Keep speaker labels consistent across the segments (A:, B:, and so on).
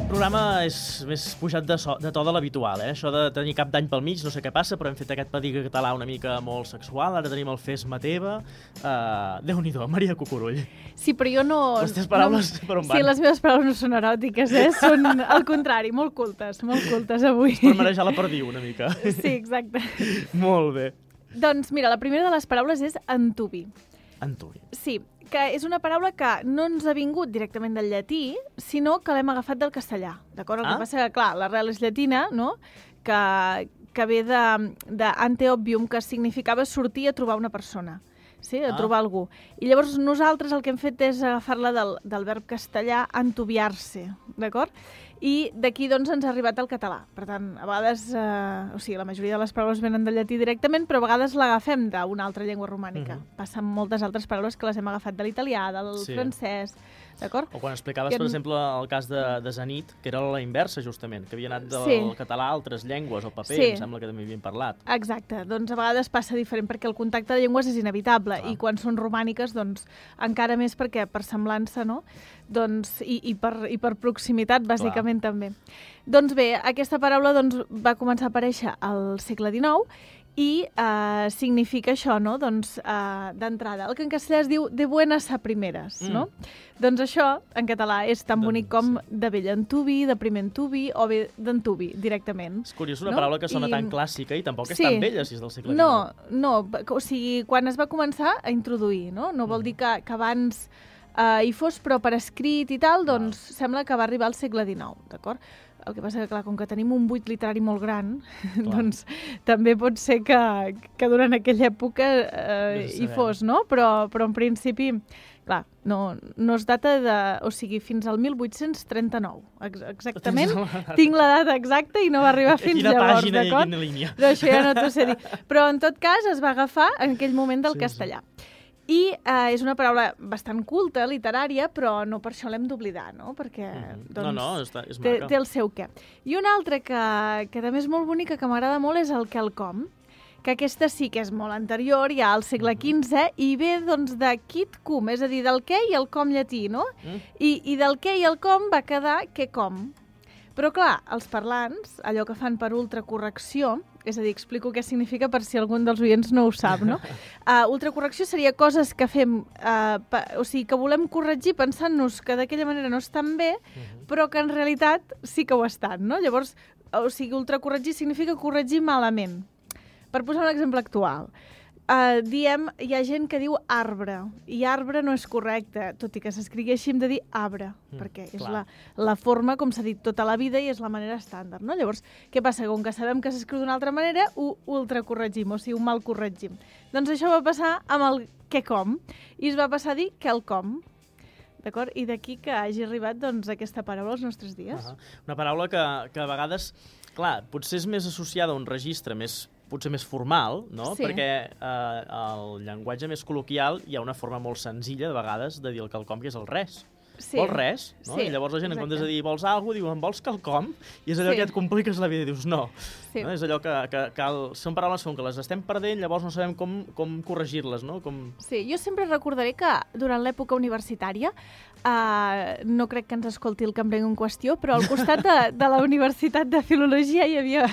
A: Aquest programa és més pujat de to de l'habitual, Això de tenir cap d'any pel mig, no sé què passa, però hem fet aquest pediga català una mica molt sexual, ara tenim el Fes-me teva. Déu-n'hi-do, Maria Cucurull.
B: Sí, però jo no...
A: Les teves paraules per on van?
B: Sí, les meves paraules no són eròtiques, Són al contrari, molt cultes avui.
A: És per marejar la perdiu una mica.
B: Sí, exacte.
A: Molt bé.
B: Doncs mira, la primera de les paraules és entubi.
A: Entubi.
B: Sí, que és una paraula que no ens ha vingut directament del llatí, sinó que l'hem agafat del castellà, d'acord? El que passa que, clar, l'arrel és llatina, no?, que ve de ante obvium, que significava sortir a trobar una persona, sí? A trobar algú. I llavors nosaltres el que hem fet és agafar-la del verb castellà entubiar-se, d'acord? I d'aquí, doncs, ens ha arribat al català. Per tant, a vegades, la majoria de les paraules venen del llatí directament, però a vegades l'agafem d'una altra llengua romànica. Passa amb moltes altres paraules que les hem agafat de l'italià, del francès, d'acord?
A: O quan explicaves, per exemple, el cas de Zenit, que era la inversa, justament, que havia anat del català a altres llengües, el paper, em sembla que també havien parlat.
B: Exacte. Doncs a vegades passa diferent, perquè el contacte de llengües és inevitable, i quan són romàniques, doncs, encara més perquè per semblança, no?, doncs, i per proximitat, bàsicament, també. Doncs bé, aquesta paraula va començar a aparèixer al segle XIX i significa això, no?, doncs, d'entrada. El que en castellà es diu de buenas a primeras, no? Doncs això, en català, és tan bonic com de vell entubi, de primer entubi, o bé d'entubi, directament.
A: És curiós, una paraula que sona tan clàssica i tampoc és tan vella, si és del segle XIX.
B: No, o sigui, quan es va començar a introduir, no? No vol dir que abans hi fos, però per escrit i tal, doncs sembla que va arribar al segle XIX, d'acord? El que passa que, clar, com que tenim un buit literari molt gran, doncs també pot ser que durant aquella època hi fos, no? Però en principi, clar, no es data o sigui, fins al 1839, exactament. Tinc la data exacta i no va arribar fins llavors, d'acord?
A: Quina línia.
B: Però això ja no t'ho sé dir. Però, en tot cas, es va agafar en aquell moment del castellà. I és una paraula bastant culta, literària, però no per això l'hem d'oblidar, no? Perquè
A: és maca.
B: Té el seu què. I una altra que també és molt bonica, que m'agrada molt, és el quelcom, que aquesta sí que és molt anterior, ja al segle XV, i ve doncs de quid cum, és a dir, del què i el com llatí, no? I del què i el com va quedar què com. Però, clar, els parlants, allò que fan per ultracorrecció, és a dir, explico què significa per si algun dels oients no ho sap, no? Ultracorrecció seria coses que fem, o sigui, que volem corregir pensant-nos que d'aquella manera no estan bé, però que en realitat sí que ho estan, no? Llavors, o sigui, ultracorregir significa corregir malament. Per posar un exemple actual, hi ha gent que diu arbre, i arbre no és correcte, tot i que s'escrigui així hem de dir arbre, perquè és la forma com s'ha dit tota la vida i és la manera estàndard, no? Llavors, què passa? Com que sabem que s'escriu d'una altra manera, ho ultracorregim, o sigui, ho mal corregim. Doncs això va passar amb el quelcom, i es va passar a dir quelcom, d'acord? I d'aquí que hagi arribat, doncs, aquesta paraula als nostres dies.
A: Una paraula que a vegades, clar, potser és més associada a un registre potser més formal, no?
B: Sí.
A: Perquè el llenguatge més col·loquial hi ha una forma molt senzilla, de vegades, de dir el quelcom, que és el res.
B: Sí.
A: Vols res? No?
B: Sí,
A: I llavors la gent, en comptes de
B: exacte.
A: dir vols alguna cosa, diuen vols quelcom, i és allò que et compliques la vida i dius no.
B: Sí.
A: No? És allò que són paraules que les estem perdent, llavors no sabem com corregir-les, no?
B: Sí, jo sempre recordaré que durant l'època universitària, no crec que ens escolti el cambrer en qüestió, però al costat de la Universitat de Filologia hi havia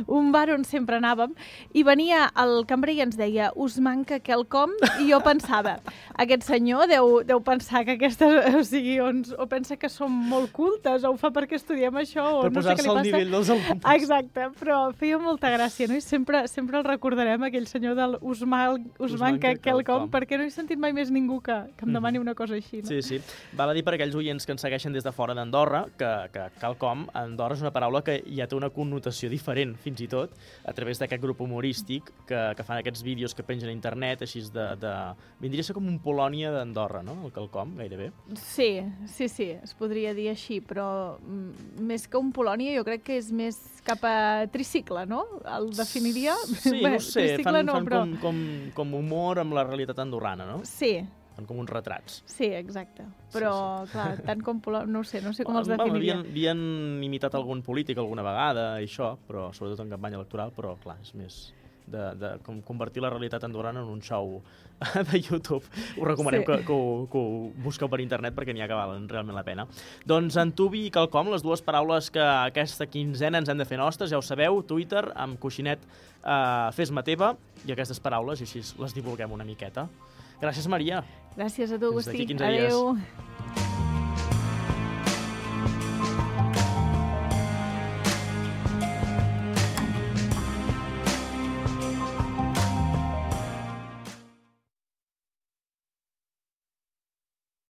B: un bar on sempre anàvem, i venia el cambrer i ens deia us manca quelcom, i jo pensava, aquest senyor deu pensar que aquestes, o sigui, o pensa que som molt cultes, o ho fa perquè estudiem això, o
A: per
B: no sé què li passa.
A: posar-se al nivell dels alumnes.
B: Exacte, però feia molta gràcia, no? I sempre el recordarem, aquell senyor del us manca quelcom, perquè no he sentit mai més ningú que em demani una cosa així, no?
A: Sí. Val a dir per aquells oients que ens segueixen des de fora d'Andorra que quelcom a Andorra és una paraula que ja té una connotació diferent, fins i tot, a través d'aquest grup humorístic que fan aquests vídeos que pengen a internet, així vindria a ser com un Polònia d'Andorra, no? El quelcom, gairebé.
B: Sí, es podria dir així, però més que un Polònia jo crec que és més cap a tricicle, no? El definiria?
A: Sí, no ho sé, fan
B: però...
A: com humor amb la realitat andorrana, no?
B: Sí.
A: Fan com uns retrats.
B: Sí, exacte. Però, clar, tant com Polònia, no sé com els definiria.
A: Havien imitat algun polític alguna vegada, això, però sobretot en campanya electoral, però, clar, és de com convertir la realitat andorrana en un show de YouTube. Us recomanem que ho busqueu per internet perquè n'hi ha que valen realment la pena. Doncs Antuvi i Quelcom, les dues paraules que aquesta quinzena ens hem de fer nostres, ja ho sabeu, Twitter, amb coixinet fes-me teva, i aquestes paraules, i així les divulguem una miqueta. Gràcies, Maria.
B: Gràcies a tu, Agustí.
A: Fins d'aquí 15 dies.
B: Adéu.